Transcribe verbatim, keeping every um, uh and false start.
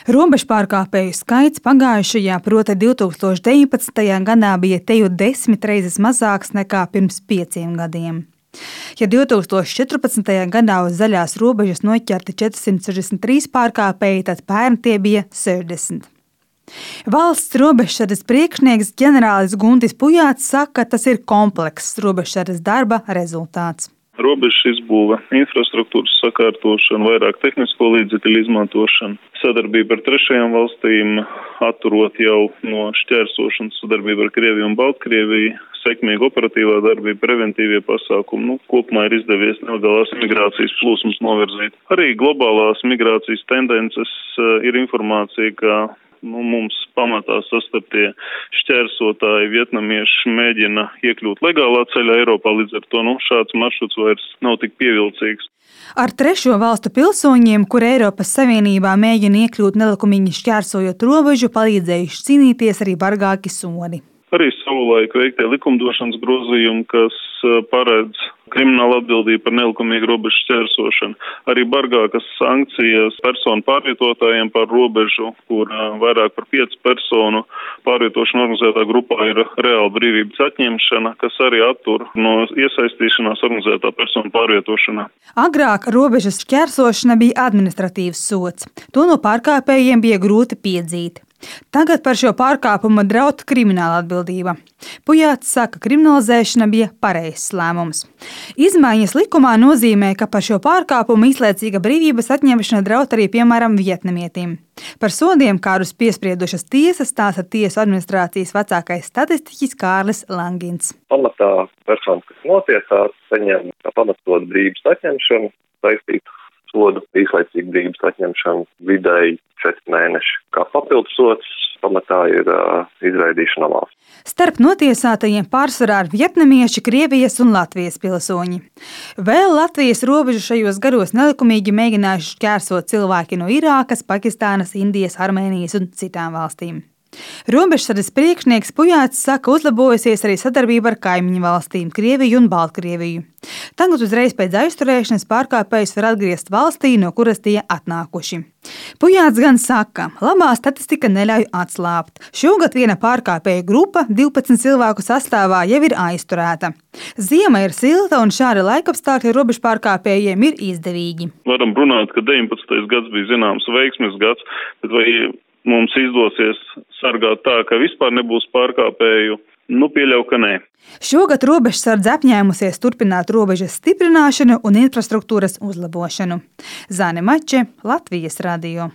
Robežu pārkāpēju skaits pagājušajā, proti divs tūkstoši deviņpadsmitajā gadā bija teju desmit reizes mazāks nekā pirms pieciem gadiem. Ja divs tūkstoši četrpadsmitajā gadā uz zaļās robežas noķerti četri simti sešdesmit trīs pārkāpēji, tad pērn tie bija sešdesmit. Valsts robežsardzes priekšnieks ģenerālis Guntis Pujāts saka, ka tas ir komplekss robežsardzes darba rezultāts. Robežas izbūve, infrastruktūras sakārtošana, vairāk tehnisko līdzekļu izmantošana, sadarbība ar trešajām valstīm, atturot jau no šķērsošanas, sadarbība ar Krieviju un Baltkrieviju, sekmīga operatīvā darbība, preventīvie pasākumi. Nu, kopumā ir izdevies nelegālās migrācijas plūsmas novirzīt. Arī globālās migrācijas tendences ir informācija, ka Nu, mums pamatā sastaptie šķērsotāji vietnamieši mēģina iekļūt legālā ceļā Eiropā, līdz ar to nu, šāds maršruts vairs nav tik pievilcīgs. Ar trešo valstu pilsoņiem, kur Eiropas Savienībā mēģina iekļūt nelikumīgi šķērsojot robežu, palīdzējuši cīnīties arī bargāki sodi. Arī savulaik veiktie likumdošanas grozījumi, kas paredz kriminālu atbildību par nelikumīgu robežu šķērsošanu, arī bargākas sankcijas personu pārvietotājiem par robežu, kur vairāk par piecu personu pārvietošana organizētā grupā ir reāla brīvības atņemšana, kas arī attur no iesaistīšanās organizētā personu pārvietošanā. Agrāk robežas šķērsošana bija administratīvs sods. To no pārkāpējiem bija grūti piedzīt. Tagad par šo pārkāpumu draud krimināla atbildība. Pujāts saka, ka kriminalizēšana bija pareizs lēmums. Izmaiņas likumā nozīmē, ka par šo pārkāpumu īslaicīga brīvības atņemšana draud arī, piemēram, vietnamietim. Par sodiem, kādus piespriedušas tiesas, stāsta tiesu administrācijas vecākais statistiķis Kārlis Langins. Pamatā persona, kas notiesāts, saņem pamatot brīvības atņemšanu, saistītu sodu īslaicīgu brīvības atņemšanu vidēji četri mēneši. Kā papildus sods pamatā ir uh, izraidīšana no valsts. Starp notiesātajiem pārsvarā ir vietnamieši, Krievijas un Latvijas pilsoņi. Vēl Latvijas robežu šajos garos nelikumīgi mēģinājuši šķērsot cilvēki no Irākas, Pakistānas, Indijas, Armēnijas un citām valstīm. Robežsardzes priekšnieks Pujāts saka, uzlabojusies arī sadarbība ar kaimiņu valstīm Krieviju un Baltkrieviju. Tagad uzreiz pēc aizturēšanas pārkāpējus var atgriezt valstī, no kuras tie atnākuši. Pujāts gan saka, labā statistika neļauj atslābt. Šogad viena pārkāpēja grupa divpadsmit cilvēku sastāvā jau ir aizturēta. Ziema ir silta un šādi laikapstākļi robežu pārkāpējiem ir izdevīgi. Varam runāt, ka deviņpadsmitais gads bija zināms veiksmes gads, bet vai mums izdosies sargāt tā, ka vispār nebūs pārkāpēju? Nu, pieļauju, ka nē. Šogad robežsardze apņēmusies turpināt robežas stiprināšanu un infrastruktūras uzlabošanu. Zane Mače, Latvijas radio.